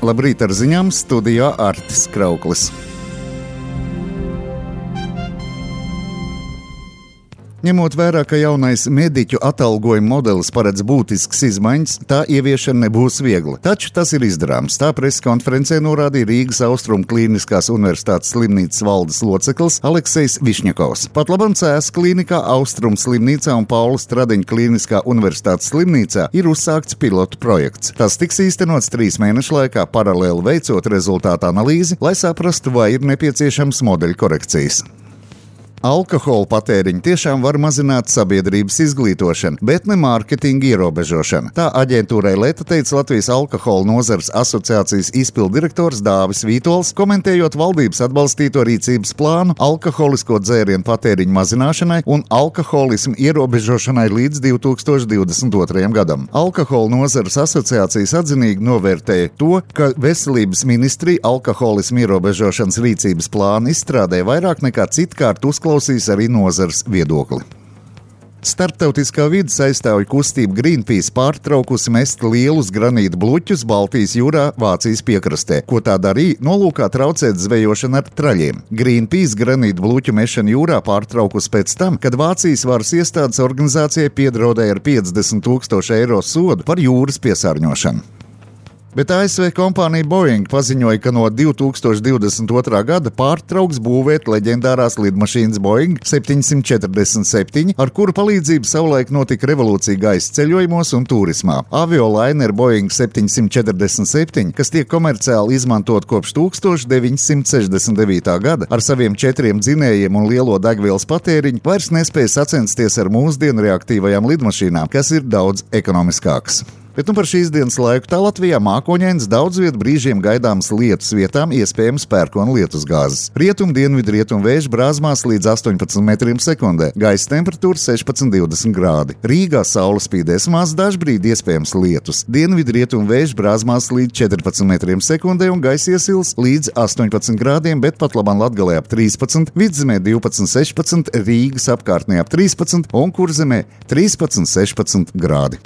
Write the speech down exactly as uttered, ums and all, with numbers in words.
Labrīt ar ziņām, studijā Artis Krauklis. Ņemot vērā, ka jaunais mediķu atalgojuma modelis paredz būtiskas izmaiņas, tā ieviešana nebūs viegla. Taču tas ir izdarāms. Tā preses konferencē norādīja Rīgas Austrumu Klīniskās Universitātes slimnīcas valdes loceklis Aleksejs Višņakovs. Pat labam Cēsu klīnikā, Austrumu slimnīcā un Paula Stradiņa Klīniskā Universitātes slimnīcā ir uzsākts pilotu projekts. Tas tiks īstenots trīs mēnešu laikā, paralēli veicot rezultātu analīzi, lai saprastu, vai ir nepieciešams modeļu korekcijas. Alkohola patēriņu tiešām var mazināt sabiedrības izglītošana, bet ne mārketinga ierobežošana. Tā aģentūrai Leta teica Latvijas alkohola nozares asociācijas izpilddirektors Dāvis Vītols, komentējot valdības atbalstīto rīcības plānu alkoholisko dzērienu patēriņu mazināšanai un alkoholismu ierobežošanai līdz divi tūkstoši divdesmit otrajam gadam. Alkohola nozares asociācijas atzinīgi novērtēja to, ka Veselības ministrija alkoholismu ierobežošanas rīcības plānu izstrādē vairāk nekā citkārt uzklausīt klausīs arī nozares viedokli. Starptautiskā vides aizstāvju kustība Greenpeace pārtraukusi mest lielus granīta bluķus Baltijas jūrā Vācijas piekrastē, ko tā darīja nolūkā traucēt zvejošanu ar traļiem. Greenpeace granīta bluķu mešanu jūrā pārtraukusi pēc tam, kad Vācijas varas iestādes organizācijai piedraudēja ar piecdesmit tūkstošu eiro sodu par jūras piesārņošanu. Bet A S V kompānija Boeing paziņoja, ka no divi tūkstoši divdesmit otrā gada pārtrauks būvēt leģendārās lidmašīnas Boeing septiņsimt četrdesmit septiņi, ar kuru palīdzību savulaik notika revolūcija gaisa ceļojumos un turismā. Aviolainer Boeing septiņsimt četrdesmit septiņi, kas tiek komerciāli izmantot kopš tūkstoš deviņsimt sešdesmit devītā gada, ar saviem četriem dzinējiem un lielo degvielas patēriņu, vairs nespēja sacensties ar mūsdienu reaktīvajām lidmašīnām, kas ir daudz ekonomiskākas. Bet nu par šīs dienas laiku tā Latvijā mākoņains, daudz vietu brīžiem gaidāmas lietus vietām, iespējams pērkona lietusgāzes. Rietum, dienvidu, rietum vēju brāzmās līdz astoņpadsmit metriem sekundē, gaisa temperatūra sešpadsmit divdesmit grādi. Rīgā saule spīdēs maz, dažbrīd iespējams lietus. Dienvidu, rietum vēju brāzmās līdz četrpadsmit metriem sekundē un gaisa iesils līdz astoņpadsmit grādiem, bet pat labam Latgalē ap trīspadsmit, Vidzemē divpadsmit sešpadsmit, Rīgas apkārtnē ap trīspadsmit un Kurzemē trīspadsmit sešpadsmit grādi.